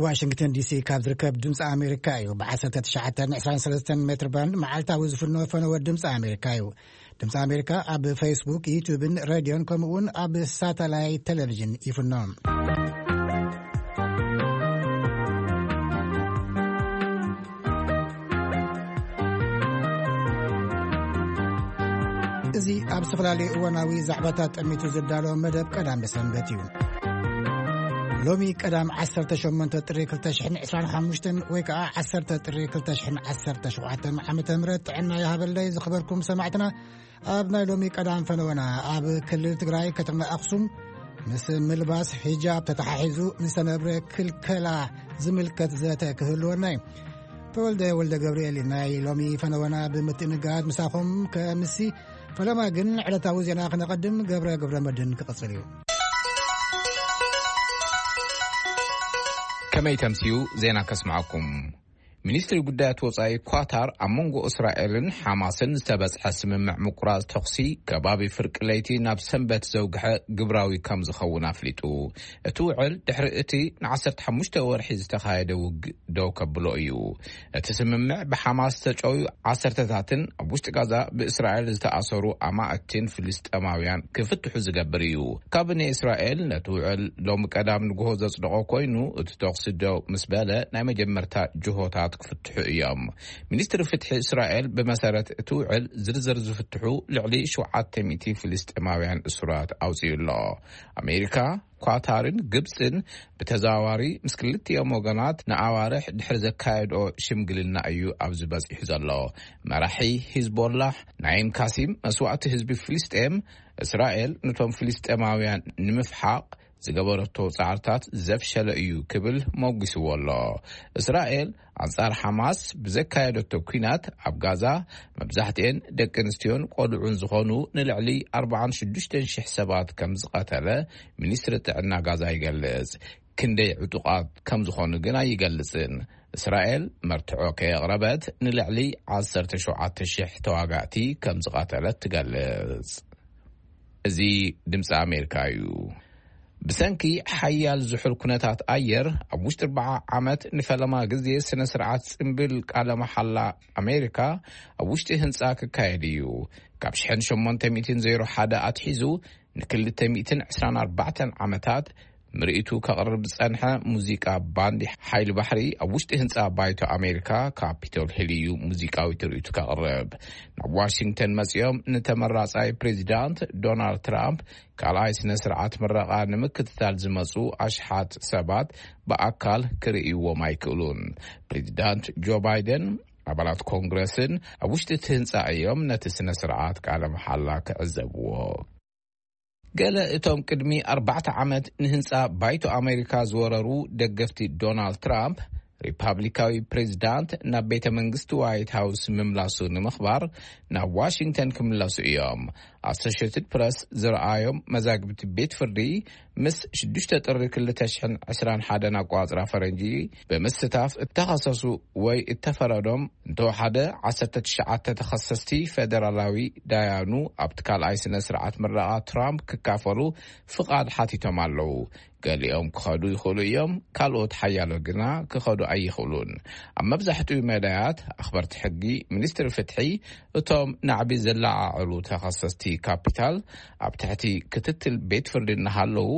ዋሽንግተን ዲሲ ካብ ዝርከብ ድምፂ ኣሜሪካ እዩ። ብ19 23 ሜትር ባንድ መዓልታዊ ዝፍኖ ፈነወ ድምፂ ኣሜሪካ እዩ። ድምፂ ኣሜሪካ ኣብ ፌስቡክ፣ ዩቱብን ሬድዮን ከምኡውን ኣብ ሳተላይት ቴሌቪዥን ይፍኖ። እዚ ኣብ ዝተፈላለዩ እዋናዊ ዛዕባታት ጠሚቱ ዝዳሎ መደብ ቀዳም ሰንበት እዩ። ሎሚ ቀዳም 18 ጥሪ 2025 ወይ ከዓ 10 ጥሪ 2017 ዓመተ ምህረት ጥዕና ይሃበለይ። ዝኸበርኩም ሰማዕትና፣ ኣብ ናይ ሎሚ ቀዳም ፈነወና ኣብ ክልል ትግራይ ከተማ ኣኽሱም ምስ ምልባስ ሒጃብ ተተሓሒዙ ንዝተነብረ ክልከላ ዝምልከት ዘተ ክህልወና እዩ። ተወልደ ወልደ ገብርኤል ናይ ሎሚ ፈነወና ብምትእንጋድ ምሳኹም ከምሲ። ፈለማ ግን ዕለታዊ ዜና ክነቐድም ገብረ ገብረ መድን ክቕጽል እዩ። ከመይ ተምስዩ ዜና ከስምዓኩም። ሚኒስትሪ ጉዳያት ወጻኢ ኳታር ኣብ መንጎ እስራኤልን ሓማስን ዝተበጽሐ ስምምዕ ምቁራጽ ተኹሲ ከባቢ ፍርቂ ለይቲ ናብ ሰንበት ዘውግሐ ግብራዊ ከም ዝኸውን ኣፍሊጡ። እቲ ውዕል ድሕሪ እቲ ን15 ወርሒ ዝተኻየደ ውግእ ደው ከብሎ እዩ። እቲ ስምምዕ ብሓማስ ዝተጨውዩ ዓሰርተታትን ኣብ ውሽጢ ጋዛ ብእስራኤል ዝተኣሰሩ ኣማእትን ፍልስጤማውያን ክፍትሑ ዝገብር እዩ። ካቢኔ እስራኤል ነቲ ውዕል ሎሚ ቀዳም ንግሆ ዘጽደቖ ኮይኑ፣ እቲ ተኹሲ ደው ምስ በለ ናይ መጀመርታ ጅሆታት ክፍትሑ እዮም። ሚኒስትሪ ፍትሒ እስራኤል ብመሰረት እቲ ውዕል ዝርዝር ዝፍትሑ ልዕሊ 700 ፍልስጤማውያን እሱራት ኣውጺኡ ኣሎ። ኣሜሪካ፣ ኳታርን ግብጽን ብተዘዋዋሪ ምስ ክልቲኦም ወገናት ንኣዋርሕ ድሕሪ ዘካየድኦ ሽምግልና እዩ ኣብዚ በጺሑ ዘሎ። መራሒ ሂዝቦላህ ናይም ካሲም መስዋእቲ ህዝቢ ፍልስጤም፣ እስራኤል ነቶም ፍልስጤማውያን ንምፍሓቕ ዝገበረቶ ጻዕርታት ዘፍሸለ እዩ ክብል ሞጒስዎ ኣሎ። እስራኤል ኣንጻር ሓማስ ብዘካየደቶ ኲናት ኣብ ጋዛ መብዛሕትኤን ደቂ ኣንስትዮን ቆልዑን ዝኾኑ ንልዕሊ 46,000 ሰባት ከም ዝቐተለ ሚኒስትሪ ጥዕና ጋዛ ይገልጽ። ክንደይ ዕጡቓት ከም ዝኾኑ ግን ኣይገልጽን። እስራኤል መርትዖ ከየቕረበት ንልዕሊ 17,000 ተዋጋእቲ ከም ዝቐተለት ትገልጽ። እዚ ድምፂ ኣሜሪካ እዩ። ብሰንኪ ሓያል ዝሑል ኩነታት ኣየር ኣብ ውሽጢ ኣርባዓ ዓመት ንፈለማ ግዜ ስነ ስርዓት ጽምብል ቃለ መሓላ ኣሜሪካ ኣብ ውሽጢ ህንፃ ክካየድ እዩ። ካብ 1801 ኣትሒዙ ን224 ዓመታት ምርኢቱ ከቕርብ ዝጸንሐ ሙዚቃ ባንድ ሓይሊ ባሕሪ ኣብ ውሽጢ ህንጻ ባይቶ ኣሜሪካ ካፒቶል ሂል እዩ ሙዚቃዊ ትርኢቱ ከቕርብ። ናብ ዋሽንግተን መጺኦም ንተመራጻይ ፕሬዚዳንት ዶናልድ ትራምፕ ካልኣይ ስነ ስርዓት ምረቓ ንምክትታል ዝመጹ ኣሽሓት ሰባት ብኣካል ክርእይዎም ኣይክእሉን። ፕሬዚዳንት ጆ ባይደን ኣባላት ኮንግረስን ኣብ ውሽጢ እቲ ህንጻ እዮም ነቲ ስነ ስርዓት ቃለ መሓላ ክዕዘብዎ። ገለ እቶም ቅድሚ ኣርባዕተ ዓመት ንህንጻ ባይቶ ኣሜሪካ ዝወረሩ ደገፍቲ ዶናልድ ትራምፕ፣ ሪፓብሊካዊ ፕሬዚዳንት ናብ ቤተ መንግስቲ ዋይት ሃውስ ምምላሱ ንምኽባር ናብ ዋሽንግተን ክምለሱ እዮም። ኣሶሽትድ ፕረስ ዝረኣዮም መዛግብቲ ቤት ፍርዲ፣ ምስ 6 ጥሪ 2021 ኣቋጽራ ፈረንጂ ብምስታፍ እተኸሰሱ ወይ እተፈረዶም እንተወሓደ 19 ተኸሰስቲ ፌደራላዊ ዳያኑ ኣብቲ ካልኣይ ስነ ስርዓት ምረቓ ትራምፕ ክካፈሉ ፍቓድ ሓቲቶም ኣለዉ። ገሊኦም ክኸዱ ይኽእሉ እዮም፣ ካልኦት ሓያሎ ግና ክኸዱ ኣይኽእሉን። ኣብ መብዛሕትኡ መዳያት ኣኽበርቲ ሕጊ፣ ሚኒስትሪ ፍትሒ፣ እቶም ናዕቢ ዘለዓዕሉ ተኸሰስቲ ካፒታል ኣብ ትሕቲ ክትትል ቤት ፍርዲ እናሃለዉ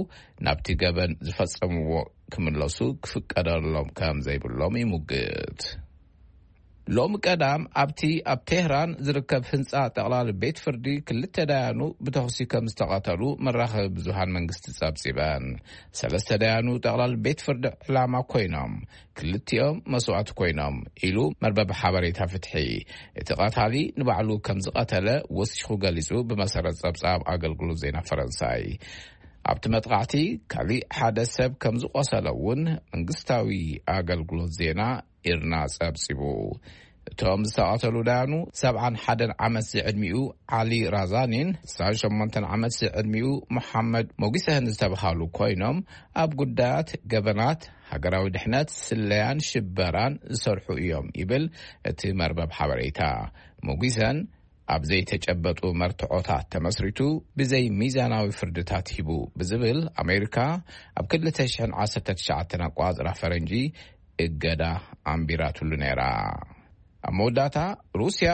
ናብቲ ገበን ዝፈጸምዎ ክምለሱ ክፍቀደሎም ከም ዘይብሎም ይሙግት። ሎሚ ቀዳም ኣብቲ ኣብ ቴህራን ዝርከብ ህንጻ ጠቕላሊ ቤት ፍርዲ ክልተ ዳያኑ ብተኹሲ ከም ዝተቐተሉ መራኸቢ ብዙሃን መንግስቲ ጸብጺበን። ሰለስተ ዳያኑ ጠቕላሊ ቤት ፍርዲ ዕላማ ኮይኖም፣ ክልቲኦም መስዋእቲ ኮይኖም ኢሉ መርበብ ሓበሬታ ፍትሒ። እቲ ቀታሊ ንባዕሉ ከም ዝቐተለ ወሲኹ ገሊጹ፣ ብመሰረት ጸብጻብ ኣገልግሎት ዜና ፈረንሳይ። ኣብቲ መጥቃዕቲ ካሊእ ሓደ ሰብ ከም ዝቆሰለ እውን መንግስታዊ ኣገልግሎት ዜና ኢርና ጸብጺቡ። እቶም ዝተቐተሉ ዳያኑ 71 ዓመት ዝዕድሚኡ ዓሊ ራዛኒን 68 ዓመት ዝዕድሚኡ መሓመድ ሞጊሰህን ዝተባሃሉ ኮይኖም፣ ኣብ ጉዳያት ገበናት ሃገራዊ ድሕነት፣ ስለያን ሽበራን ዝሰርሑ እዮም ይብል እቲ መርበብ ሓበሬታ። ሞጊሰን ኣብ ዘይተጨበጡ መርትዖታት ተመስሪቱ ብዘይ ሚዛናዊ ፍርድታት ሂቡ ብዝብል ኣሜሪካ ኣብ ክልተ ሽሕን ዓሰርተ ትሽዓተን ኣቋጽራ ፈረንጂ እገዳ ኣንቢራትሉ ነይራ። ኣብ መወዳእታ ሩስያ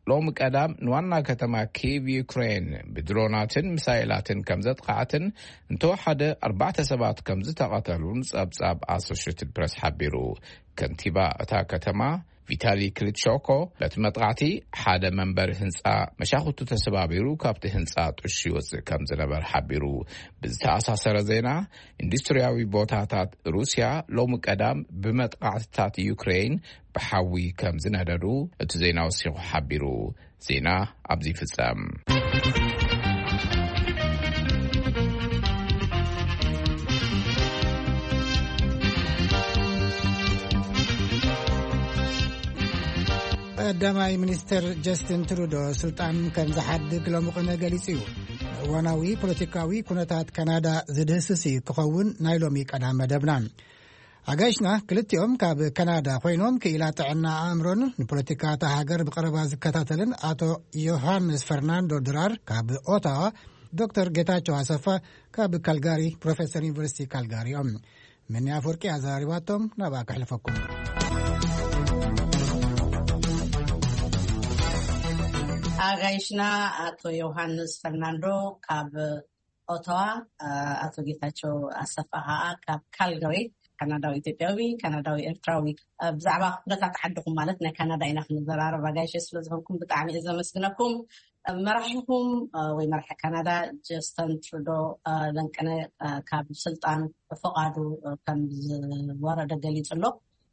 ሎም ቀዳም ንዋና ከተማ ኪቭ ዩክሬን ብድሮናትን ሚሳይላትን ከም ዘጥቃዕትን እንተወሓደ ኣርባዕተ ሰባት ከም ዝተቐተሉን ጸብጻብ ኣሶሽትድ ፕረስ ሓቢሩ። ከንቲባ እታ ከተማ ቪታሊ ክሊትሾኮ በቲ መጥቃዕቲ ሓደ መንበሪ ህንጻ መሻኹቱ ተሰባቢሩ ካብቲ ህንጻ ጥሹ ይወጽእ ከም ዝነበር ሓቢሩ። ብዝተኣሳሰረ ዜና፣ ኢንዱስትሪያዊ ቦታታት ሩስያ ሎም ቀዳም ብመጥቃዕትታት ዩክሬን ብሓዊ ከም ዝነደዱ እቲ ዜና ወሲኹ ሓቢሩ። ዜና ኣብዚ ይፍጸም። ቀዳማይ ሚኒስትር ጀስቲን ትሩዶ ስልጣን ከም ዝሓድግ ሎሚ ቅነ ገሊጹ እዩ። እዋናዊ ፖለቲካዊ ኩነታት ካናዳ ዝድህስስ እዩ ክኸውን ናይ ሎሚ ቀዳም መደብና። ኣጋይሽና ክልቲኦም ካብ ካናዳ ኮይኖም፣ ክኢላ ጥዕና ኣእምሮን ንፖለቲካ እታ ሃገር ብቐረባ ዝከታተልን ኣቶ ዮሃንስ ፈርናንዶ ድራር ካብ ኦታዋ፣ ዶክተር ጌታቸው ኣሰፋ ካብ ካልጋሪ፣ ፕሮፌሰር ዩኒቨርሲቲ ካልጋሪ እዮም። ምንያ ኣፈወርቂ ኣዘራሪባቶም፣ ናብኣ ከሕልፈኩም። ኣጋይሽና ኣቶ ዮሃንስ ፈርናንዶ ካብ ኦቶዋ፣ ኣቶ ጌታቸው ኣሰፋ ከዓ ካብ ካልጋሪ፣ ካናዳዊ ኢትዮጵያዊ፣ ካናዳዊ ኤርትራዊ። ብዛዕባ ኩነታት ዓድኹም፣ ማለት ናይ ካናዳ ኢና ክንዘራረብ ኣጋይሸ ስለ ዝኾንኩም ብጣዕሚ እየ ዘመስግነኩም። መራሒኹም ወይ መራሒ ካናዳ ጀስተን ትሩዶ ለንቅነ ካብ ስልጣን ፍቓዱ ከም ዝወረደ ገሊጹ ኣሎ።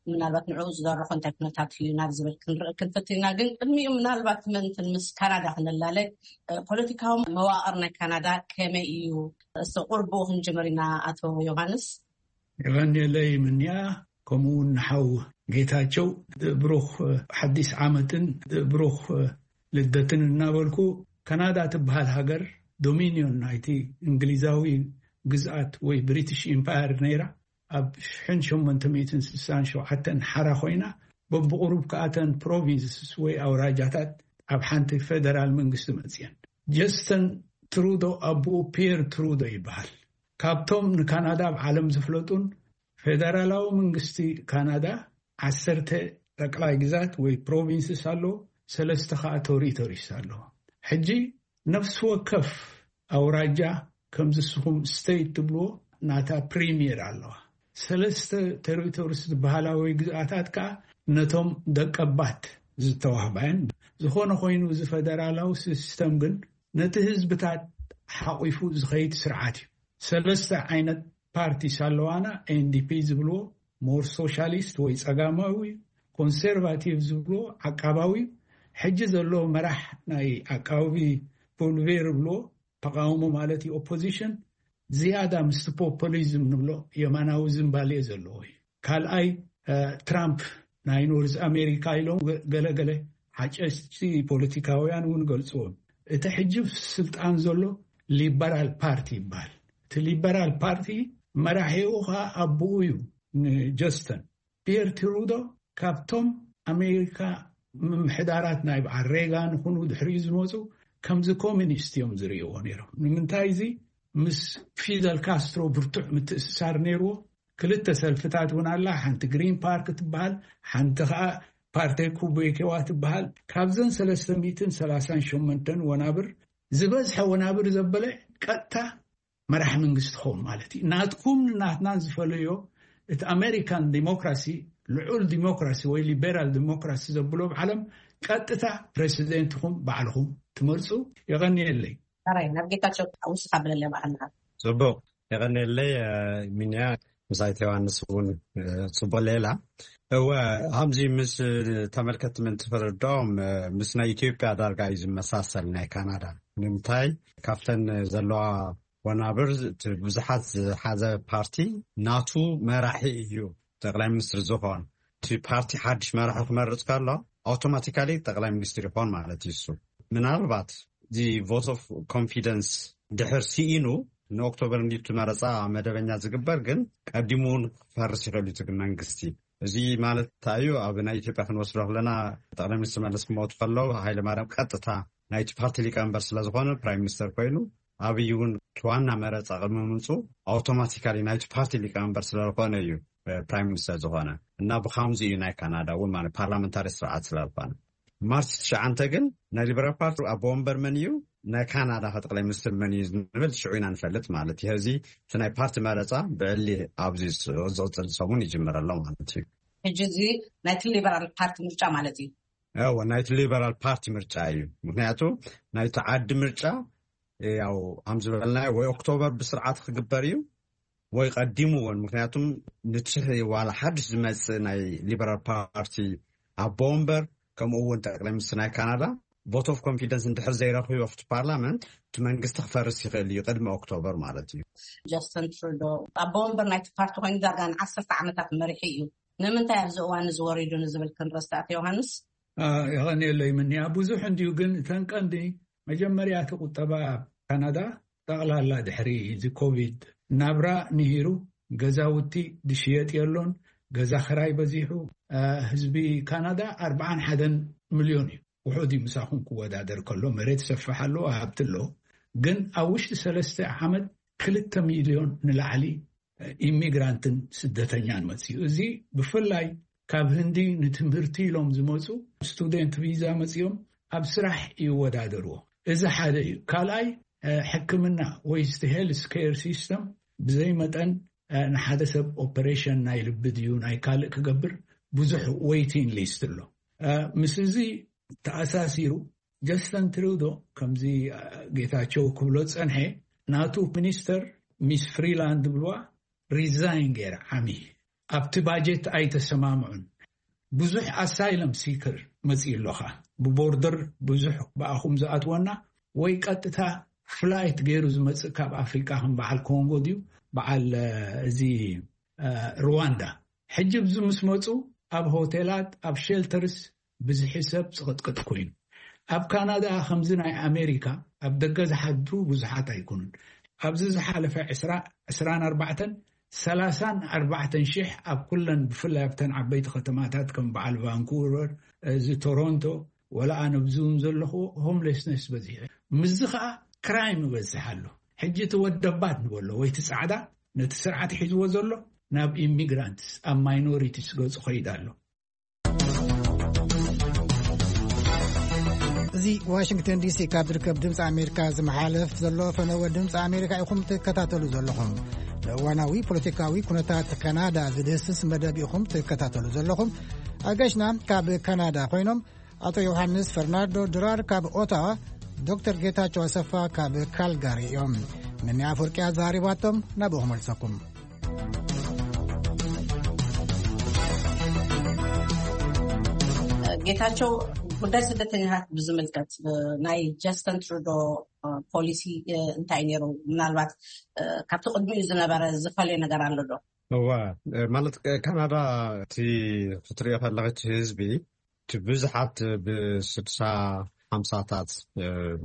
ምናልባት ንዕኡ ዝደረኾ እንታይ ኩነታት እዩ ናብ ዝብል ክንርኢ ክንፍትን ኢና። ግን ቅድሚኡ ምናልባት ምእንትን ምስ ካናዳ ክንላለ፣ ፖለቲካዊ መዋቕር ናይ ካናዳ ከመይ እዩ? እስቲ ቁርብኡ ክንጅምር ኢና። ኣቶ ዮሃንስ። የቐንየለይ ምንያ፣ ከምኡ እውን ንሓው ጌታቸው ብሩኽ ሓዲስ ዓመትን ብሩኽ ልደትን እናበልኩ፣ ካናዳ ትበሃል ሃገር ዶሚኒዮን ናይቲ እንግሊዛዊ ግዝኣት ወይ ብሪቲሽ ኢምፓየር ነይራ። ኣብ ሽሕን ሸሞንተ ሚእትን ስሳን ሸውዓተን ሓራ ኮይና፣ በብቑሩብ ከኣተን ፕሮቪንስስ ወይ ኣውራጃታት ኣብ ሓንቲ ፌደራል መንግስቲ መጽየን። ጀስተን ትሩዶ ኣቦኡ ፒየር ትሩዶ ይበሃል። ካብቶም ንካናዳ ኣብ ዓለም ዝፍለጡን፣ ፌደራላዊ መንግስቲ ካናዳ ዓሰርተ ጠቅላይ ግዛት ወይ ፕሮቪንስስ ኣለዎ፣ ሰለስተ ከዓ ቶሪቶሪስ ኣለዎ። ሕጂ ነፍሲ ወከፍ ኣውራጃ ከምዚ ንስኹም ስቴት ትብልዎ ናታ ፕሪሚየር ኣለዋ። ሰለስተ ቴሪቶሪስ ዝበሃላ ወይ ግዝኣታት ከዓ ነቶም ደቀባት ዝተዋህባ እየን። ዝኾነ ኮይኑ እዚ ፌደራላዊ ሲስተም ግን ነቲ ህዝብታት ሓቂፉ ዝኸይድ ስርዓት እዩ። ሰለስተ ዓይነት ፓርቲስ ኣለዋና፣ ኤንዲፒ ዝብልዎ፣ ሞር ሶሻሊስት ወይ ጸጋማዊ፣ ኮንሰርቫቲቭ ዝብልዎ ዓቃባዊ። ሕጂ ዘሎ መራሕ ናይ ዓቃቢ ፖልቬር ብሎ ተቃውሞ ማለት እዩ፣ ኦፖዚሽን፣ ዝያዳ ምስቲ ፖፖሊዝም ንብሎ የማናዊ ዝንባሌ ዘለዎ እዩ። ካልኣይ ትራምፕ ናይ ኖርዝ ኣሜሪካ ኢሎም ገለገለ ሓጨስቲ ፖለቲካውያን እውን ገልፅዎም። እቲ ሕጂ ስልጣን ዘሎ ሊበራል ፓርቲ ይበሃል። እቲ ሊበራል ፓርቲ መራሒኡ ከዓ ኣቦኡ እዩ፣ ንጀስተን። ፒየር ትሩዶ ካብቶም ኣሜሪካ ምምሕዳራት ናይ በዓል ሬጋን ይኹኑ ድሕሪኡ ዝመፁ ከምዚ ኮሚኒስት እዮም ዝርእይዎ ነይሮም። ንምንታይ እዚ ምስ ፊደል ካስትሮ ብርቱዕ ምትእስሳር ነይርዎ። ክልተ ሰልፍታት እውን ኣላ። ሓንቲ ግሪን ፓርክ ትበሃል፣ ሓንቲ ከዓ ፓርቴ ኩቤኬዋ ትበሃል። ካብዘን ሰለስተ ሚእትን ሰላሳን ሸሞንተን ወናብር ዝበዝሐ ወናብር ዘበለ ቀጥታ መራሕ መንግስቲ ክኸውን ማለት እዩ። ናትኩም ናትናን ዝፈለዮ እቲ ኣሜሪካን ዲሞክራሲ፣ ልዑል ዲሞክራሲ ወይ ሊቤራል ዲሞክራሲ ዘብሎ ብዓለም ቀጥታ ፕሬሲደንትኹም ባዕልኹም ትመርፁ። የቐንየለይ። ራይ ናብ ጌታቸው ውስኻ ብለለ ባዕልኻ። ጽቡቅ። የቐንየለይ። ሚንያ፣ ምስ ኣይተ ዮሃንስ እውን ጽቡቅ ሌላ። እወ፣ ከምዚ ምስ ተመልከትቲ ምእንቲ ክርድኦም፣ ምስ ናይ ኢትዮጵያ ዳርጋ እዩ ዝመሳሰል ናይ ካናዳ። ንምንታይ? ካብተን ዘለዋ ወናብር እቲ ብዙሓት ዝሓዘ ፓርቲ ናቱ መራሒ እዩ ጠቅላይ ሚኒስትር ዝኾን። እቲ ፓርቲ ሓድሽ መራሒ ክመርፅ ከሎ ኣውቶማቲካሊ ጠቅላይ ሚኒስትር ይኾን ማለት እዩ። እሱ ምናልባት እዚ ቮት ኦፍ ኮንፊደንስ ድሕር ስኢኑ ንኦክቶበር እንዲቱ መረፃ መደበኛ ዝግበር፣ ግን ቀዲሙ እውን ክፈርስ ይኽእል እዩ እቲ መንግስቲ። እዚ ማለት እንታይ እዩ? ኣብ ናይ ኢትዮጵያ ክንወስዶ ከለና ጠቅላይ ሚኒስትር መለስ ክመቱ ከለዉ ሃይለ ማርያም ቀጥታ ናይቲ ፓርቲ ሊቀመንበር ስለዝኾነ፣ ፕራይም ሚኒስተር ኮይኑ፣ ኣብይ እውን ዋና መረፃ ቅድሚ ምምፁ ኣውቶማቲካሊ ናይቲ ፓርቲ ሊቀመንበር ስለዝኾነ እዩ ፕራይም ሚኒስተር ዝኾነ። እና ብካምዚ እዩ ናይ ካናዳ እውን ማለት ፓርላመንታሪ ስርዓት ስለዝኾነ። ማርች ትሽዓተ ግን ናይ ሊበራል ፓርቲ ኣቦ ወንበር መን እዩ፣ ናይ ካናዳ ጠቅላይ ሚኒስትር መን እዩ ንብል ሽዑ ኢና ንፈልጥ ማለት እዩ። ሕዚ እቲ ናይ ፓርቲ መረፃ ብዕሊ ኣብዚ ዝቕፅል ሰሙን ይጅምር ኣሎ ማለት እዩ። ሕጂ እዚ ናይቲ ሊበራል ፓርቲ ምርጫ ማለት እዩ። እወ፣ ናይቲ ሊበራል ፓርቲ ምርጫ እዩ። ምክንያቱ ናይቲ ዓዲ ምርጫ ያው ከም ዝበልናዮ ወይ ኦክቶበር ብስርዓት ክግበር እዩ ወይ ቀዲሙ እውን። ምክንያቱም ንትሕ ዋላ ሓድሽ ዝመፅእ ናይ ሊበራል ፓርቲ ኣቦ ወንበር ከምኡ እውን ጠቅላይ ሚኒስትር ናይ ካናዳ ቦት ኦፍ ኮንፊደንስ እንድሕር ዘይረኽቡ ኣብቲ ፓርላመንት እቲ መንግስቲ ክፈርስ ይኽእል እዩ ቅድሚ ኦክቶበር ማለት እዩ። ጀስትን ትሩዶ ኣቦ ወንበር ናይቲ ፓርቲ ኮይኑ ዳርጋ ንዓሰርተ ዓመታት መሪሑ እዩ። ንምንታይ ኣብዚ እዋን እዚ ወሪዱ ንዝብል ክንረስቲ ኣቶ ዮሃንስ። የቐንየለይ ምንያ ብዙሕ እንድዩ፣ ግን እተን ቀንዲ መጀመርያ እቲ ቁጠባ ካናዳ ጠቕላላ ድሕሪ እዚ ኮቪድ ናብራ ንሂሩ፣ ገዛውቲ ድሽየጥ የሎን፣ ገዛ ክራይ በዚሑ። ህዝቢ ካናዳ ኣርባዓን ሓደን ሚልዮን እዩ። ውሑድ እዩ ምሳኹም ክወዳደር ከሎ፣ መሬት ሰፍሕ ኣለዎ፣ ሃብቲ ኣለዎ። ግን ኣብ ውሽጢ ሰለስተ ዓመት ክልተ ሚልዮን ንላዕሊ ኢሚግራንትን ስደተኛን መፅዩ። እዚ ብፍላይ ካብ ህንዲ ንትምህርቲ ኢሎም ዝመፁ ስቱደንት ቪዛ መፅዮም ኣብ ስራሕ ይወዳደርዎ። እዚ ሓደ እዩ። ካልኣይ ሕክምና ወይ ሄልስ ኬር ሲስተም ብዘይ መጠን ንሓደ ሰብ ኦፐሬሽን ናይ ልቢ ድዩ ናይ ካልእ ክገብር ብዙሕ ዌይቲንግ ሊስት ኣሎ። ምስ እዚ ተኣሳሲሩ ጀስተን ትሩዶ ከምዚ ጌታቸው ክብሎ ዝጸንሐ ናቱ ሚኒስተር ሚስ ፍሪላንድ ብልዋ ሪዛይን ገይራ ዓሚ ኣብቲ ባጀት ኣይተሰማምዑን። ብዙሕ ኣሳይለም ሲከር መጽዩ ኣለኻ ብቦርደር ብዙሕ ብኣኹም ዝኣትወና ወይ ቀጥታ ፍላይት ገይሩ ዝመጽእ ካብ ኣፍሪቃ ከም በዓል ኮንጎ ድዩ በዓል እዚ ሩዋንዳ። ሕጂ ብዚ ምስ መጹ ኣብ ሆቴላት ኣብ ሸልተርስ ብዝሒ ሰብ ጽቕጥቅጥ ኮይኑ። ኣብ ካናዳ ከምዚ ናይ ኣሜሪካ ኣብ ደገ ዝሓድሩ ብዙሓት ኣይኮኑን። ኣብዚ ዝሓለፈ ዕስራን ኣርባዕተን ሰላሳን ኣርባዕተን ሽሕ ኣብ ኩለን ብፍላይ ኣብተን ዓበይቲ ከተማታት ከም በዓል ቫንኩቨር እዚ ቶሮንቶ ወላ ኣነ ብዚ እውን ዘለኹ ሆምሌስነስ በዚሑ። ምስዚ ከዓ ክራይም ይበዝሕ ኣሎ። ሕጂ እቲ ወደባት ንበሎ ወይ እቲ ፃዕዳ ነቲ ስርዓት ሒዝዎ ዘሎ ናብ ኢሚግራንትስ ኣብ ማይኖሪቲስ ገፁ ከይድ ኣሎ። እዚ ዋሽንግተን ዲሲ ካብ ዝርከብ ድምፂ ኣሜሪካ ዝመሓለፍ ዘሎ ፈነወ ድምፂ ኣሜሪካ ኢኹም ትከታተሉ ዘለኹም። ንእዋናዊ ፖለቲካዊ ኩነታት ካናዳ ዝድህስስ መደብ ኢኹም ትከታተሉ ዘለኹም። ኣጋሽና ካብ ካናዳ ኮይኖም ኣቶ ዮሃንስ ፈርናንዶ ድራር ካብ ኦታዋ፣ ዶክተር ጌታቸው ኣሰፋ ካብ ካልጋሪ እዮም። ምንያ ኣፈወርቂ ኣዛሪባቶም ናብኡ ክመልሰኩም። ጌታቸው፣ ጉዳይ ስደተኛታት ብዝምልከት ናይ ጀስተን ትሩዶ ፖሊሲ እንታይ ነይሩ? ምናልባት ካብቲ ቅድሚኡ ዝነበረ ዝፈልዮ ነገር ኣሎ ዶ? እዋ፣ ማለት ካናዳ እቲ ክትሪኦ ከለኺ እቲ ህዝቢ እቲ ብዙሓት ብስድሳ ሓምሳታት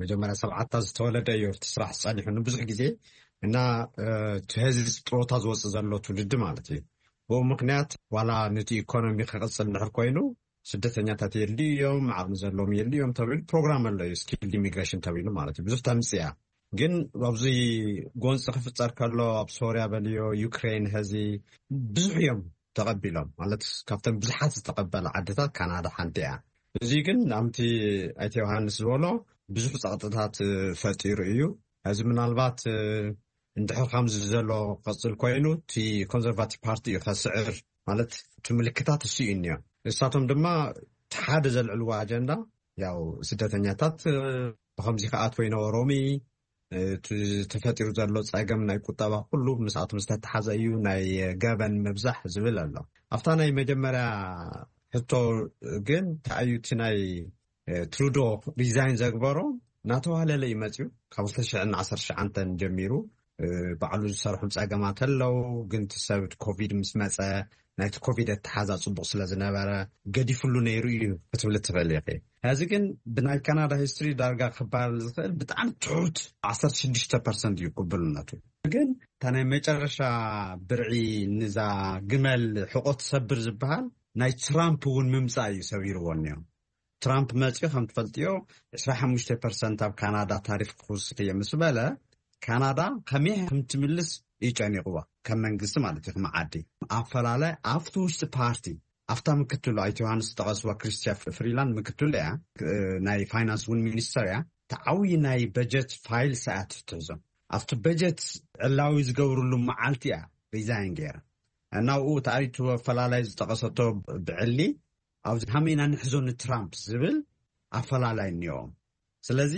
መጀመርያ ሰብዓታት ዝተወለደ እዩ እቲ ስራሕ ዝጸኒሑ ንብዙሕ ግዜ እና እቲ ህዝቢ ጥሮታ ዝወፅእ ዘሎ ትውልዲ ማለት እዩ። ብኡ ምክንያት ዋላ ነቲ ኢኮኖሚ ክቕፅል እንድሕር ኮይኑ ስደተኛታት የድልዩ እዮም፣ ዓቕሚ ዘለዎም የድልዩ እዮም ተባሂሉ ፕሮግራም ኣሎ እዩ፣ ስኪልድ ኢሚግሬሽን ተባሂሉ ማለት እዩ። ብዙሕ ተምፅያ ግን ኣብዚ ጎንፂ ክፍፀር ከሎ ኣብ ሶርያ በልዮ ዩክሬን ሕዚ ብዙሕ እዮም ተቐቢሎም ማለት ካብተን ብዙሓት ዝተቐበለ ዓድታት ካናዳ ሓንቲ እያ። እዚ ግን ናምቲ ኣይተ ዮሃንስ ዝበሎ ብዙሕ ፀቕጥታት ፈጢሩ እዩ። እዚ ምናልባት እንድሕር ከምዚ ዘሎ ክቕፅል ኮይኑ እቲ ኮንዘርቫቲቭ ፓርቲ እዩ ከስዕር ማለት እቲ ምልክታት እሱ እዩ እኒኦ። ንሳቶም ድማ እቲ ሓደ ዘልዕልዎ ኣጀንዳ ያው ስደተኛታት ብከምዚ ክኣትዎ ይነበሮም እዩ። እቲ ተፈጢሩ ዘሎ ፀገም ናይ ቁጠባ ኩሉ ምስኣቶም ዝተተሓዘ እዩ፣ ናይ ገበን ምብዛሕ ዝብል ኣሎ። ኣብታ ናይ መጀመርያ ሕቶ ግን ተኣዩ እቲ ናይ ትሩዶ ሪዛይን ዘግበሮ እናተዋህለለ እዩ መፅዩ። ካብ ክልተ ሽሕን ዓሰርተ ትሽዓተን ጀሚሩ ባዕሉ ዝሰርሖም ፀገማት ኣለዉ፣ ግን እቲ ሰብ ኮቪድ ምስ መፀ ናይቲ ኮቪድ ኣተሓዛ ፅቡቕ ስለ ዝነበረ ገዲፍሉ ነይሩ እዩ ክትብል ትኽእል ኢኺ። ሕዚ ግን ብናይ ካናዳ ሂስትሪ ዳርጋ ክበሃል ዝኽእል ብጣዕሚ ትሑት ዓሰርተ ሽዱሽተ ፐርሰንት እዩ ቅቡልነቱ። ግን እታ ናይ መጨረሻ ብርዒ ንዛ ግመል ሕቆ ትሰብር ዝበሃል ናይ ትራምፕ እውን ምምፃእ እዩ ሰቢርዎ እኒኦ። ትራምፕ መፂኡ ከም ትፈልጥዮ ዕስራ ሓሙሽተ ፐርሰንት ኣብ ካናዳ ታሪፍ ክውስኽ እየ ምስ በለ፣ ካናዳ ከመይ ከም ትምልስ እዩ ጨኒቕዋ፣ ከም መንግስቲ ማለት እዩ፣ ከም ዓዲ። ኣፈላለ ኣብቲ ውሽጢ ፓርቲ፣ ኣብታ ምክትሉ ኣይተ ዮሃንስ ዝጠቐስዋ ክሪስቲያ ፍሪላንድ ምክትሉ እያ፣ ናይ ፋይናንስ እውን ሚኒስተር እያ። ተዓዊ ናይ በጀት ፋይል ሰኣት ትሕዞ፣ ኣብቲ በጀት ዕላዊ ዝገብርሉ መዓልቲ እያ ሪዛይን ገይራ። እናብኡ ተኣይቱ ኣፈላላይ ዝጠቐሰቶ ብዕሊ፣ ኣብዚ ሃመይና ንሕዞ ንትራምፕ ዝብል ኣፈላላይ እኒኦም። ስለዚ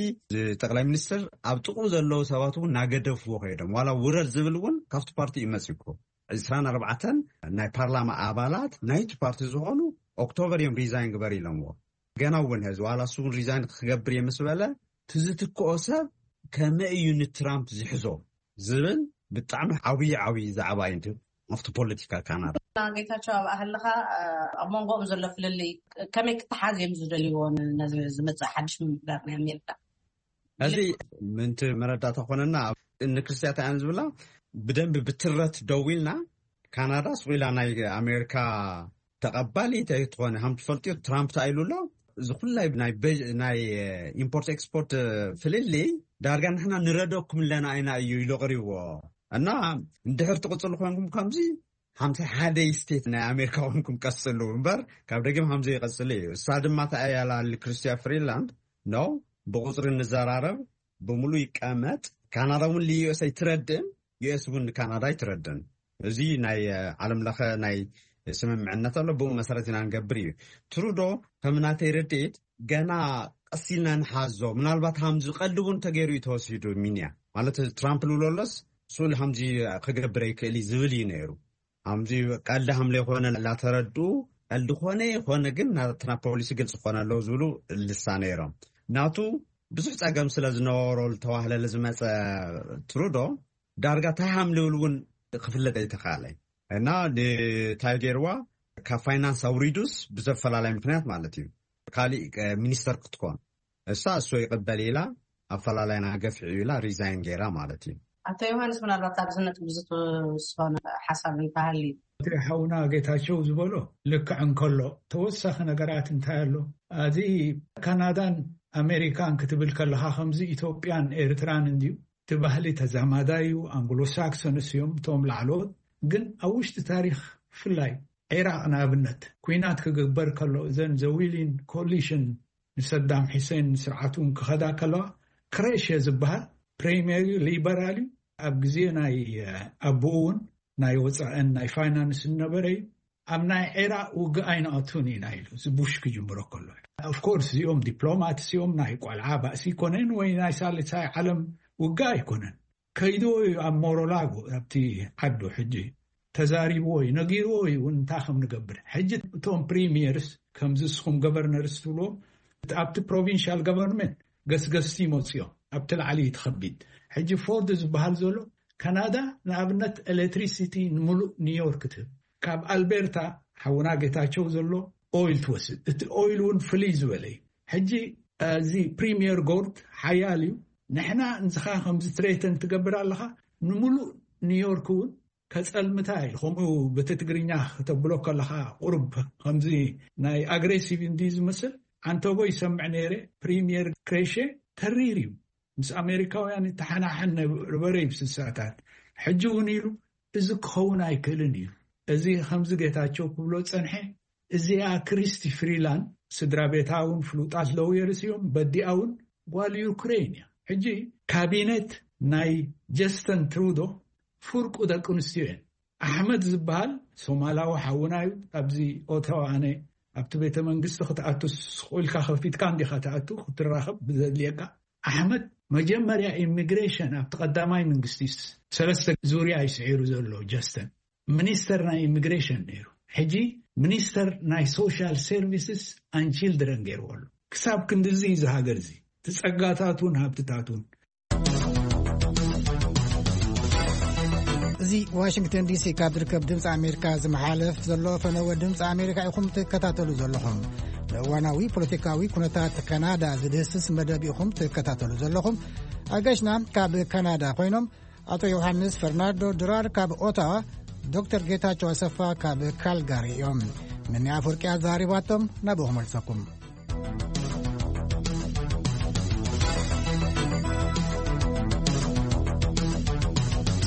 ጠቅላይ ሚኒስትር ኣብ ጥቕኡ ዘለዉ ሰባት እውን እናገደፍዎ ከይዶም፣ ዋላ ውረድ ዝብል እውን ካብቲ ፓርቲ እዩ መፂኩ። ዕስራን ኣርባዕተን ናይ ፓርላማ ኣባላት ናይቲ ፓርቲ ዝኾኑ ኦክቶበር እዮም ሪዛይን ግበር ኢሎምዎ። ገና እውን ሕዚ ዋላ እሱ እውን ሪዛይን ክገብር እየ ምስ በለ፣ ትዝትክኦ ሰብ ከመይ እዩ ንትራምፕ ዝሕዞ ዝብል ብጣዕሚ ዓብዪ ዓብዪ ዛዕባ እዩ ኣብቲ ፖለቲካ ካናዳ። ጌታቸው፣ ኣብ ኣህልኻ ኣብ መንጎኦም ዘሎ ፍልልይ ከመይ ክተሓዝ እዮም ዝደልይዎ? ነዚ ዝመፅእ ሓድሽ ምምሕዳር ናይ ኣሜሪካ? እዚ ምንቲ መረዳእታ ኮነና፣ ንክርስትያት ኣያን ዝብላ ብደንቢ ብትረት ደው ኢልና፣ ካናዳ ስቑኢላ ናይ ኣሜሪካ ተቐባሊት ኣይትኾነ። ከም ትፈልጥዮ ትራምፕ ተኣይሉ ኣሎ። እዚ ኩላይ ናይ በ- ናይ ኢምፖርት ኤክስፖርት ፍልልይ ዳርጋ ንሕና ንረደኩም ኣለና ኢና እዩ ኢሉ ኣቕሪብዎ። እና እንድሕር ትቕፅሉ ኮንኩም ከምዚ ሓምሳ ሓደ ስቴት ናይ ኣሜሪካ ኮንኩም ቀፅሉ እምበር፣ ካብ ደጊም ከምዚ ይቐፅል እዩ። እሳ ድማ ተኣያላሊ ክርስቲያ ፍሪላንድ ነው፣ ብቁፅሪ ንዘራረብ፣ ብምሉእ ይቀመጥ። ካናዳ እውን ዩኤስ ኣይትረድእን፣ ዩኤስ እውን ንካናዳ ኣይትረድእን። እዚ ናይ ዓለም ለኸ ናይ ስምምዕነት ኣሎ፣ ብኡ መሰረት ኢና ንገብር እዩ። ትሩዶ ከም ናተይ ርድኢት ገና ቀሲልና ንሓዞ። ምናልባት ሃምዚ ቀልዲ እውን ተገይሩ እዩ ተወሲዱ ሚንያ ማለት፣ ትራምፕ ልብሎ ኣሎስ ስኡል ሃምዚ ክገብር ኣይክእል እዩ ዝብል እዩ ነይሩ። ሃምዚ ቀልዲ ሃምለ ይኮነ ላተረዱ፣ ቀልዲ ኮነ ይኮነ ግን ናትና ፖሊሲ ግልፂ ኮነ ኣለዉ ዝብሉ ልሳ ነይሮም። ናቱ ብዙሕ ፀገም ስለ ዝነበሮ ዝተዋህለለ ዝመፀ ትሩዶ ዳርጋ እንታይ ሃም ልብል እውን ክፍለጥ ኣይተኻለ። እና ንታይ ገይርዋ፣ ካብ ፋይናንስ ኣውሪዱስ ብዘፈላለይ ምክንያት ማለት እዩ፣ ካሊእ ሚኒስተር ክትኮን እሳ እሱ ይቕበል ኢላ ኣፈላላይና ገፊዑ ኢላ ሪዛይን ገይራ ማለት እዩ። ኣቶ ዮሃንስ፣ ምናልባት ኣብዚ ነጥቢ እዚ ትውስኾ ሓሳብ እንተሃልዩ? እቲ ሓውና ጌታቸው ዝበሎ ልክዕ እንከሎ፣ ተወሳኺ ነገራት እንታይ ኣሎ? ኣዚ ካናዳን ኣሜሪካን ክትብል ከለኻ ከምዚ ኢትዮጵያን ኤርትራን እንድዩ። እቲ ባህሊ ተዛማዳዩ፣ ኣንግሎ ሳክሶንስ እዮም እቶም ላዕለዎት። ግን ኣብ ውሽጢ ታሪኽ ብፍላይ ዒራቕ ንኣብነት ኩናት ክግበር ከሎ እዘን ዘዊሊን ኮሊሽን ንሰዳም ሒሴን ስርዓቱን ክኸዳ ከለዋ ክሬሽ ዝበሃል ፕሬምየር ሊበራል እዩ። ኣብ ግዜ ናይ ኣቦኡ እውን ናይ ወፃእን ናይ ፋይናንስ ዝነበረ እዩ። ኣብ ናይ ዒራቕ ውግእ ኣይንኣቱን ኢና ኢሉ እዚ ቡሽ ክጅምሮ ከሎ። ኦፍኮርስ እዚኦም ዲፕሎማት እዚኦም ናይ ቆልዓ ባእሲ ኣይኮነን ወይ ናይ ሳልሳይ ዓለም ውግእ ኣይኮነን። ከይድዎ እዩ ኣብ ሞሮላጎ ኣብቲ ዓዱ ሕጂ ተዛሪብዎ እዩ ነጊርዎ እዩ እውን እንታይ ከም ንገብር። ሕጂ እቶም ፕሪሚየርስ ከምዚ ንስኹም ገቨርነርስ ትብልዎም ኣብቲ ፕሮቪንሻል ገቨርንመንት ገስገስቲ ይመፅኦም ኣብቲ ላዕሊ እዩ ትኸቢድ። ሕጂ ፎርድ ዝበሃል ዘሎ ካናዳ ንኣብነት ኤሌክትሪሲቲ ንምሉእ ኒውዮርክ ትህብ። ካብ ኣልቤርታ ሓውና ጌታቸው ዘሎ ኦይል ትወስድ። እቲ ኦይል እውን ፍልይ ዝበለ እዩ። ሕጂ እዚ ፕሪሚየር ጎርድ ሓያል እዩ። ንሕና እንስኻ ከምዚ ትሬተን ትገብር ኣለኻ ንምሉእ ኒውዮርክ እውን ከጸልምታ እዩ። ከምኡ በቲ ትግርኛ ከተብሎ ከለኻ ቁሩብ ከምዚ ናይ ኣግሬሲቭ እንዲ ዝመስል ዓንተቦ ይሰምዕ ነይረ። ፕሪሚየር ክሬሼ ተሪር እዩ። ምስ ኣሜሪካውያን ይተሓናሓን ነበረ እዩ ስሳታት። ሕጂ እውን ኢሉ እዚ ክኸውን ኣይክእልን እዩ። እዚ ከምዚ ጌታቸው ክብሎ ጸንሐ። እዚኣ ክሪስቲ ፍሪላንድ ስድራ ቤታ እውን ፍሉጣት ለውየርስ እዮም። በዲኣ እውን ጓል ዩክሬን እያ። ሕጂ ካቢኔት ናይ ጀስተን ትሩዶ ፍርቁ ደቂ ኣንስትዮ እየን። ኣሕመድ ዝበሃል ሶማላዊ ሓውና እዩ። ኣብዚ ኦታዋ ኣነ ኣብቲ ቤተ መንግስቲ ክትኣቱ ስቕ ኢልካ ከፊትካ እንዲኻ ትኣቱ ክትራኸብ ብዘድልየካ። ኣሕመድ መጀመርያ ኢሚግሬሽን ኣብቲ ቀዳማይ መንግስቲ ሰለስተ ዙርያ እዩ ስዒሩ ዘሎ ጀስተን። ሚኒስተር ናይ ኢሚግሬሽን ነይሩ። ሕጂ ሚኒስተር ናይ ሶሻል ሰርቪስስ ኣን ቺልድረን ገይርዎ ኣሎ። ክሳብ ክንድዚ እዩ እዚ ሃገር እዚ ትጸጋታቱን ሃብትታቱን። እዚ ዋሽንግተን ዲሲ ካብ ዝርከብ ድምፂ ኣሜሪካ ዝመሓለፍ ዘሎ ፈነወ ድምፂ ኣሜሪካ ኢኹም ትከታተሉ ዘለኹም። ንእዋናዊ ፖለቲካዊ ኩነታት ካናዳ ዝድህስስ መደብ ኢኹም ትከታተሉ ዘለኹም። ኣገሽና ካብ ካናዳ ኮይኖም ኣቶ ዮሃንስ ፈርናንዶ ድራር ካብ ኦታዋ፣ ዶክተር ጌታቸው ኣሰፋ ካብ ካልጋሪ እዮም። ምኒ ኣፈወርቂ ኣዛሪባቶም ናብኡ ክመልሰኩም።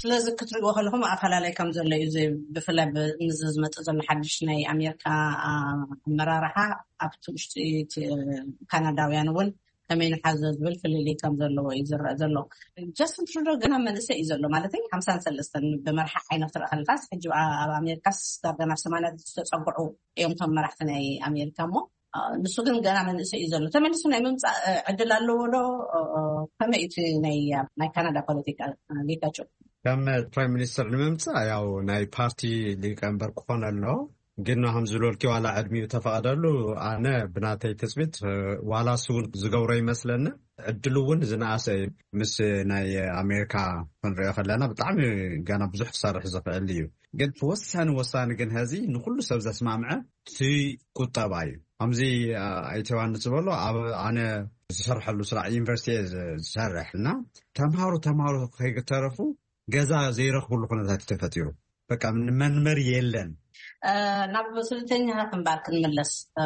ስለዚ ክትሪእዎ ከለኹም ኣፈላለይ ከም ዘሎ እዩ። እዚ ብፍላይ ብ-፣ ምስ ዝመጽእ ዘሎ ሓድሽ ናይ ኣሜሪካ፣ ኣ፣ ኣመራርሓ ኣብቲ ውሽጢ እቲ፣ እ፣ ካናዳውያን እውን ከመይ ንሓዞ ዝብል ፍልልይ ከም ዘለዎ እዩ ዝረአ ዘሎ። ጀስትን ትሩዶ ገና መንእሰይ እዩ ዘሎ፣ ማለት ሓምሳን ሰለስተን ብመርሓ ዓይነት ክትርኢ ከለካስ፣ ሕጂ ኣ-፣ ኣብ ኣሜሪካስ ዳርጋ ናብ ሰማንያ ዝተጸግዑ እዮም እቶም መራሕቲ ናይ ኣሜሪካ። እሞ፣ ኣ፣ ንሱ ግን ገና መንእሰይ እዩ ዘሎ። ተመሊሱ ናይ ምምጻእ፣ እ፣ ዕድል ኣለዎ ዶ? እ፣ እ፣ ከመይ እዩ እቲ ናይ፣ ናይ ካናዳ ፖለቲካ፣ እ፣ ጌታቸው? ከም ፕራይም ሚኒስተር ንምምጻእ ያው ናይ ፓርቲ ሊቀመንበር ክኾን ኣሎ። ግን ከም ዝበልኪ ዋላ ዕድሚኡ ተፈቐደሉ፣ ኣነ ብናተይ ትጽቢት፣ እ፣ ዋላ እሱ እውን ዝገብሮ ይመስለኒ። ዕድሉ እውን ዝነኣሰ እዩ። ምስ ናይ ኣሜሪካ ክንሪኦ ከለና ብጣዕሚ ገና ብዙሕ ክሰርሕ ዝኽእል እዩ። ግን ወሳኒ ወሳኒ ግን ሀዚ ንኩሉ ሰብ ዘስማምዐ እቲ ቁጠባ እዩ። ከምዚ፣ አ፣ ኣይተ ዮሃንስ ዝበሎ ኣብ ኣነ ዝሰርሐሉ ስራሕ ዩኒቨርሲቲ እየ ዝ-፣ ዝሰርሕ እና ተምሃሮ ተምሃሮ ከይተረፉ ገዛ ዘይረኽብሉ ኩነታት እዩ ተፈጢሩ። በቃ መንበሪ የለን። እ፣ ናብ ስደተኛታት እምበር ክንምለስ፣ እ፣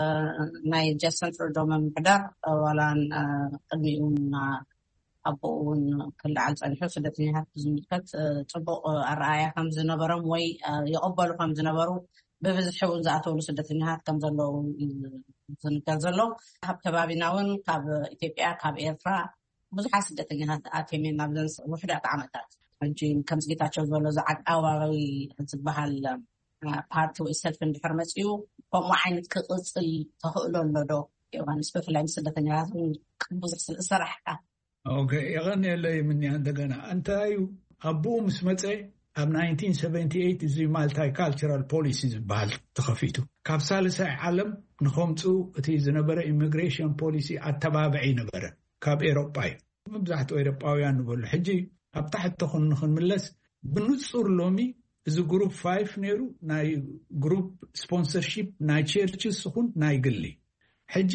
ናይ ጀስትን ትሩዶ ምምሕዳር፣ እ፣ ዋላ፣ እ፣ ቅድሚኡ እውን፣ እ፣ ኣቦኡ እውን ክለዓል ጸኒሑ ስደተኛታት ብዝምልከት፣ እ፣ ጽቡቕ ኣረኣእያ ከም ዝነበሮም ወይ፣ እ፣ ይቕበሉ ከም ዝነበሩ ብብዝሒ እውን ዝኣተውሉ ስደተኛታት ከም ዘለዉ እዩ ዝንገር ዘሎ። ካብ ከባቢና እውን ካብ ኢትዮጵያ፣ ካብ ኤርትራ ብዙሓት ስደተኛታት ኣትዮም እዮም ኣብዘን ውሕዳት ዓመታት። ሕጂ ከምዚ ጌታቸው ዝበሎ እዚ ዓቃባዊ ዝበሃል፣ እ፣ ፓርቲ ወይ ሰልፊ እንድሕር መጺኡ ከምኡ ዓይነት ክቕጽል ተኽእሎ ኣሎ ዶ? ዮሃንስ፣ ብፍላይ ምስ ስደተኛታት እውን ብዙሕ ስለ ዝሰራሕካ። ኦኬ፣ የቐንየለይ ምንያ። እንደገና እንታይ እዩ፣ ኣቦኡ ምስ መጸ ኣብ ናይንቲን ሰቨንቲ ኤይት እዚ ማልታይ ካልቸራል ፖሊሲ ዝበሃል ተኸፊቱ። ካብ ሳልሳይ ዓለም ንኸምጽኡ እቲ ዝነበረ ኢሚግሬሽን ፖሊሲ ኣተባብዒ ነበረ። ካብ ኤሮጳ እዩ። መብዛሕትኡ ኤሮጳውያን ንበሉ። ሕጂ ኣብ ታሕቲ ኹን ንኽንምለስ፣ ብንጹር ሎሚ እዚ ግሩፕ ፋይፍ ነይሩ፣ ናይ ግሩፕ ስፖንሰርሺፕ ናይ ቸርችስ ይኹን ናይ ግሊ። ሕጂ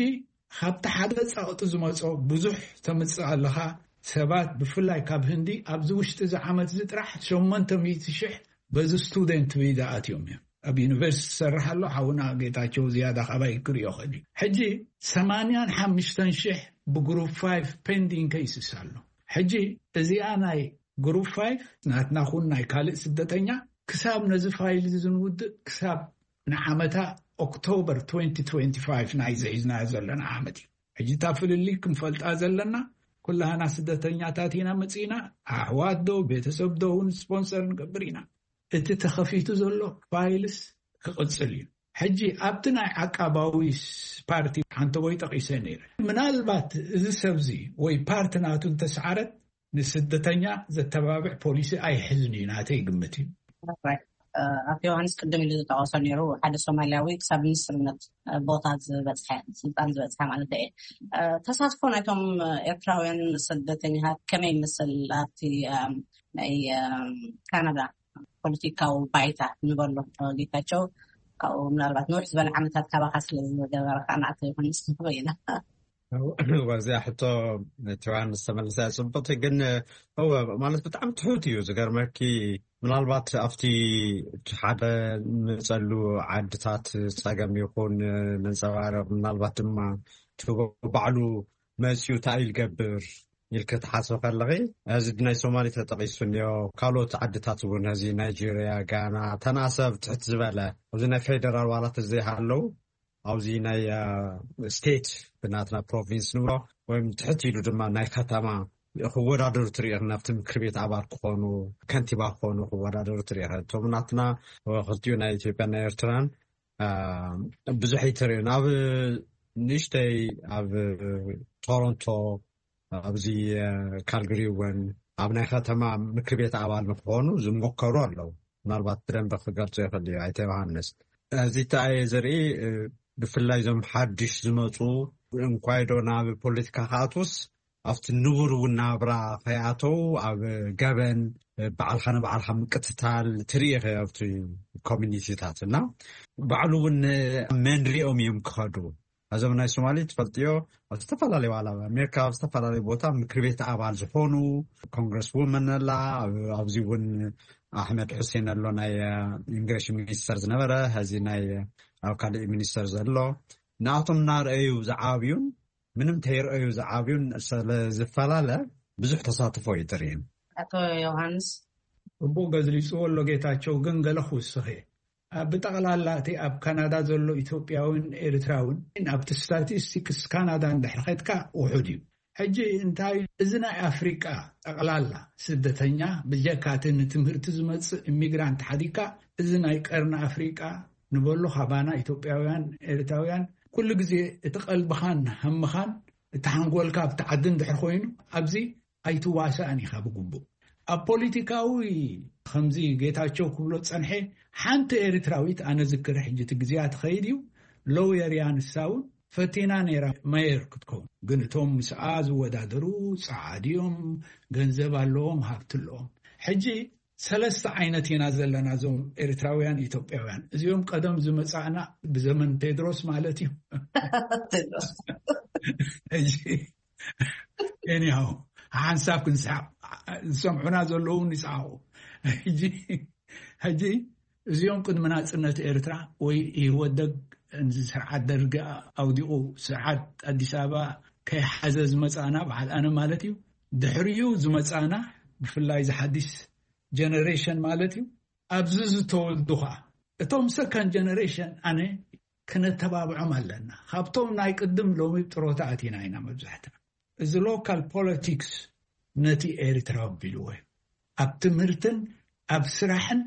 ካብቲ ሓደ ጸቕጢ ዝመጾ ብዙሕ ተምጽእ ኣለኻ። ሰባት ብፍላይ ካብ ህንዲ ኣብዚ ውሽጢ እዚ ዓመት እዚ ጥራሕ ሸሞንተ ሚእቲ ሽሕ በዚ ስቱደንት ቪዛ ኣትዮም እዮም። ኣብ ዩኒቨርሲቲ ዝሰርሕ ኣሎ ሓውና ጌታቸው ዝያዳ ካባይ ክሪኦ ኽእል እዩ። ሕጂ ሰማንያን ሓሙሽተን ሽሕ ብግሩፕ ፋይፍ ፔንዲንግ ኬይስስ ኣሎ። ሕጂ እዚኣ ናይ ግሩፕ ፋይፍ ናትና ኹን ናይ ካልእ ስደተኛ ክሳብ ነዚ ፋይል እዚ ዝንውድእ ክሳብ ንዓመታ ኦክቶበር ትወንቲ ትወንቲ ፋይፍ ናይ ዘሒዝናዮ ዘለና ዓመት እዩ። ሕጂ እታ ፍልልይ ክንፈልጣ ዘለና፣ ኩላህና ስደተኛታት ኢና መጺእና፣ ኣሕዋት ዶ ቤተሰብ ዶ እውን ስፖንሰር ንገብር ኢና። እቲ ተኸፊቱ ዘሎ ፋይልስ ክቕጽል እዩ። ሕጂ ኣብቲ ናይ ዓቃባዊ ስ-፣ ፓርቲ ሓንተ ወይ ጠቒሰ ነይረ። ምናልባት እዚ ሰብዚ ወይ ፓርቲ ናቱ እንተሰዓረት ንስደተኛ ዘተባብዕ ፖሊሲ ኣይሕዝን እዩ ናተይ ግምት እዩ። ራይት። እ፣ ኣቶ ዮሃንስ ቅድም ኢሉ ዝጠቐሶ ነይሩ፣ ሓደ ሶማልያዊ ክሳብ ሚኒስትርነት፣ እ፣ ቦታ ዝበፅሐ፣ ስልጣን ዝበፅሐ ማለት እየ። እ፣ ተሳትፎ ናይቶም ኤርትራውያን ስደተኛታት ከመይ ይመስል ኣብቲ፣ እ፣ ናይ፣ እ፣ ካናዳ ፖለቲካዊ ባይታ ንበሎ? እ፣ ጌታቸው ካብኡ ምናልባት ንውሕ ዝበለ ዓመታት ካባኻ ስለ ዝገበረ ከዓ ንኣቶ ዮሃንስ ንኽበይና። እወ፣ እዚኣ ሕቶ እቲ ዮሃንስ ተመልሳ እያ ጽብቕቲ፣ ግን እወ፣ ማለት ብጣዕሚ ትሑት እዩ። ዝገርመኪ፣ ምናልባት ኣብቲ እቲ ሓደ ንመጸሉ ዓድታት ጸገም ይኹን ነንጸባርቕ፣ ምናልባት ድማ እቲ ባዕሉ መጺኡ እንታይ እዩ ዝገብር ኢልኪ ትሓስቢ ከለኺ፣ እዚ ናይ ሶማሊ ተጠቒሱ እኒኦ፣ ካልኦት ዓድታት እውን፣ እዚ ናይጄርያ፣ ጋና፣ ተናሰብ ትሕት ዝበለ፣ ኣብዚ ናይ ፌደራል ዋላት ዘይሃለዉ፣ ኣብዚ ናይ፣ አ፣ ስቴት ብናትና ፕሮቪንስ ንብሎ፣ ወይም ትሕት ኢሉ ድማ ናይ ከተማ ክወዳደሩ ትርኢ፣ ናብቲ ምክር ቤት ኣባል ክኾኑ፣ ከንቲባ ክኾኑ ክወዳደሩ ትርኢ። እቶም ናትና ክልቲኡ ናይ ኢትዮጵያን ናይ ኤርትራን፣ አ፣ ብዙሕ ኣይተርእዩን። ኣብ ንእሽተይ ኣብ ቶሮንቶ፣ ኣብዚ፣ አ፣ ካልግሪ እውን ኣብ ናይ ከተማ ምክር ቤት ኣባል ንክኾኑ ዝሞከሩ ኣለዉ። ምናልባት ብደንብ ክገልጾ ይኽእል እዩ ኣይተ ዮሃንስ። እዚ ተኣየ ዘርኢ፣ እ፣ ብፍላይ እዞም ሓድሽ ዝመጹ እንኳይ ዶ ናብ ፖለቲካ ክኣትዉስ ኣብቲ ንቡር እውን ናብራ ከይኣተዉ ኣብ ገበን፣ እ፣ ባዕልኻ ንባዕልኻ ምቅትታል ትርኢ ኢኻ ኣብቲ ኮሚኒቲታት እና ባዕሉ እውን መን ሪኦም እዮም ክኸዱ። እዞም ናይ ሶማሊ ትፈልጥዮ ኣብ ዝተፈላለዩ ዋላ ኣብ ኣሜሪካ ኣብ ዝተፈላለዩ ቦታ ምክር ቤት ኣባል ዝኾኑ ኮንግረስ ውመን ኣላ። ኣብ-፣ ኣብዚ እውን ኣሕመድ ሑሴን ኣሎ ናይ፣ እ፣ ኢሚግሬሽን ሚኒስተር ዝነበረ፣ ሀዚ ናይ፣ እ፣ ኣብ ካልእ ሚኒስተር ዘሎ። ንኣቶም እናረኣዩ ዝዓብዩን ምንም ተይረኣዩ ዝዓብዩን ስለ ዝፈላለ ብዙሕ ተሳትፎ እዩ ትርእን። ኣቶ ዮሃንስ፣ እቦ ገዝሊጽዎ ኣሎ ጌታቸው፣ ግን ገለ ክውስኽ እየ። ኣብ ብጠቕላላ እቲ ኣብ ካናዳ ዘሎ ኢትዮጵያውን ኤርትራውን ኣብቲ ስታቲስቲክስ ካናዳ እንድሕር ኸድካ ውሑድ እዩ። ሕጂ እንታይ፣ እዚ ናይ ኣፍሪቃ ጠቕላላ ስደተኛ፣ ብጀካ እቲ ንትምህርቲ ዝመጽእ ኢሚግራንት ሓዲካ፣ እዚ ናይ ቀርኒ ኣፍሪቃ ንበሎ፣ ካባና ኢትዮጵያውያን ኤርትራውያን፣ ኩሉ ግዜ እቲ ቀልብኻን ሃምኻን እቲ ሓንጎልካ ኣብቲ ዓዲ እንድሕር ኮይኑ፣ ኣብዚ ኣይትዋሳእን ኢኻ ብግቡእ። ኣብ ፖለቲካዊ፣ ከምዚ ጌታቸው ክብሎ ጸንሐ፣ ሓንቲ ኤርትራዊት፣ ኣነ ዝክር፣ ሕጂ እቲ ግዜያ ትኸይድ እዩ፣ ሎየር እያ ንሳ እውን፣ ፈቲና ነይራ መየር ክትከውን። ግን እቶም ምስኣ ዝወዳደሩ ጸዓድ እዮም፣ ገንዘብ ኣለዎም፣ ሃብቲ ኣለዎም። ሕጂ ሰለስተ ዓይነት ኢና ዘለና፣ እዞም ኤርትራውያን ኢትዮጵያውያን። እዚኦም ቀደም ዝመጻእና ብዘመን ቴድሮስ ማለት እዩ። ቴድሮስ። ሕጂ ኤኒሃው፣ ሓንሳብ ክንስሓቕ፣ ዝሰምዑና ዘለዉ እውን ይስሓቑ። ሕጂ፣ ሕጂ እዚኦም ቅድሚ ናጽነት ኤርትራ ወይ ኢህወደግ፣ እዚ ስርዓት ደርጊ ኣውዲቑ፣ ስርዓት ኣዲስ ኣበባ ከይሓዘ ዝመጻና፣ በዓል ኣነ ማለት እዩ፣ ድሕሪኡ ዝመጻና፣ ብፍላይ እዚ ሓዲስ ጀነሬሽን ማለት እዩ፣ ኣብዚ ዝተወልዱ ኸዓ፣ እቶም ሰከንድ ጀነሬሽን፣ ኣነ፣ ክነተባብዖም ኣለና። ካብቶም ናይ ቅድም፣ ሎሚ ጥሮታ ኣቲና ኢና መብዛሕትና። እዚ ሎካል ፖለቲክስ ነቲ ኤርትራ ኣቢልዎ እዩ። ኣብ ትምህርትን ኣብ ስራሕን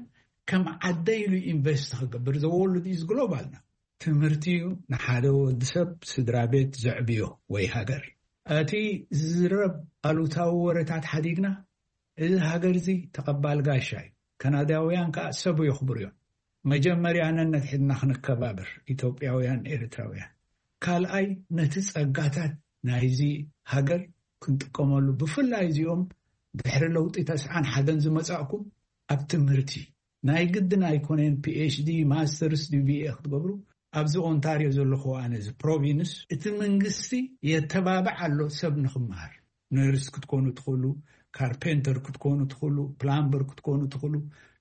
ከም ዓደ ኢሉ ኢንቨስት ክገብር፣ the world is global now። ትምህርቲ እዩ ንሓደ ወዲ ሰብ፣ ስድራ ቤት ዘዕብዮ ወይ ሃገር። እቲ ዝዝረብ ኣሉታዊ ወረታት ሓዲግና፣ እዚ ሃገር እዚ ተቐባል ጋሻ እዩ። ካናዳውያን ከኣ ሰብ የኽብሩ እዮም። መጀመርያ ነነድሕድና ክንከባበር፣ ኢትዮጵያውያን፣ ኤርትራውያን። ካልኣይ፣ ነቲ ጸጋታት ናይዚ ሃገር ክንጥቀመሉ፣ ብፍላይ እዚኦም ድሕሪ ለውጢ ተስዓን ሓደን ዝመጻእኩም፣ ኣብ ትምህርቲ ናይ ግድን ኣይኮነን፣ ፒ ኤች ዲ፣ ማስተርስ ድዩ ቢ ኤ ክትገብሩ። ኣብዚ ኦንታርዮ ዘለኹ ኣነ፣ እዚ ፕሮቪንስ፣ እቲ መንግስቲ የተባብዕ ኣሎ ሰብ ንኽመሃር። ነርስ ክትኮኑ ትኽእሉ፣ ካርፔንተር ክትኮኑ ትኽእሉ፣ ፕላምበር ክትኮኑ ትኽእሉ፣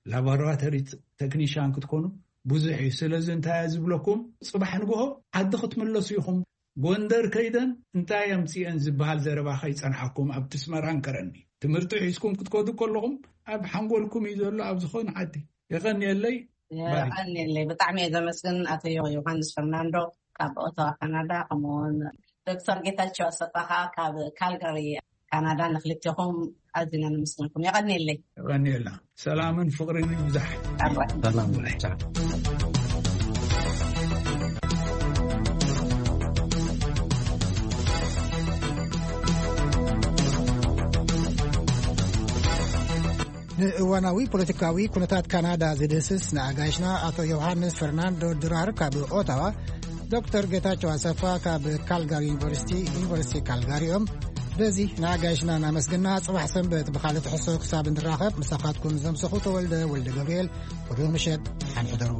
ላቦራቶሪ ቴክኒሻን ክትኮኑ ብዙሕ እዩ። ስለዚ እንታይ እየ ዝብለኩም፣ ጽባሕ ንግሆ ዓዲ ክትምለሱ ኢኹም። ጎንደር ከይደን እንታይ ኣምጺኤን ዝበሃል ዘረባ ከይጸንሓኩም፣ ኣብቲ ኣስመራን ከረኒ ትምህርቲ ሒዝኩም ክትከዱ ከለኹም፣ ኣብ ሓንጎልኩም እዩ ዘሎ፣ ኣብ ዝኾነ ዓዲ። የቐንየለይ። ባይ። የቐንየለይ። ብጣዕሚ እየ ዘመስግን ኣቶ ዮ-፣ ዮሃንስ ፈርናንዶ ካብ ኦታዋ ካናዳ፣ ከምኡውን ዶክተር ጌታቸው ኣሰፋ ካብ ካልጋሪ ካናዳ። ንክልቴኹም ኣዚና ነመስግነኩም። የቐንየለይ። የቐንየልና። ሰላምን ፍቕርን ይብዛሕ። ኣራይ። ሰላም ይብዛሕ። ንእዋናዊ ፖለቲካዊ ኩነታት ካናዳ ዝድህስስ ንኣጋይሽና ኣቶ ዮሃንስ ፈርናንዶ ድራር ካብ ኦታዋ፣ ዶክተር ጌታቸው ኣሰፋ ካብ ካልጋሪ ዩኒቨርሲቲ፣ ዩኒቨርሲቲ ካልጋሪ እዮም። በዚ ንኣጋይሽና እናመስገና፣ ጽባሕ ሰንበት ብኻልእ ትሕዝቶ ክሳብ እንራኸብ፣ ምሳኻትኩም ዘምሰኹ ተወልደ ወልደ ገብርኤል፣ ብሩኽ ምሸት፣ ሓንሕደሩ።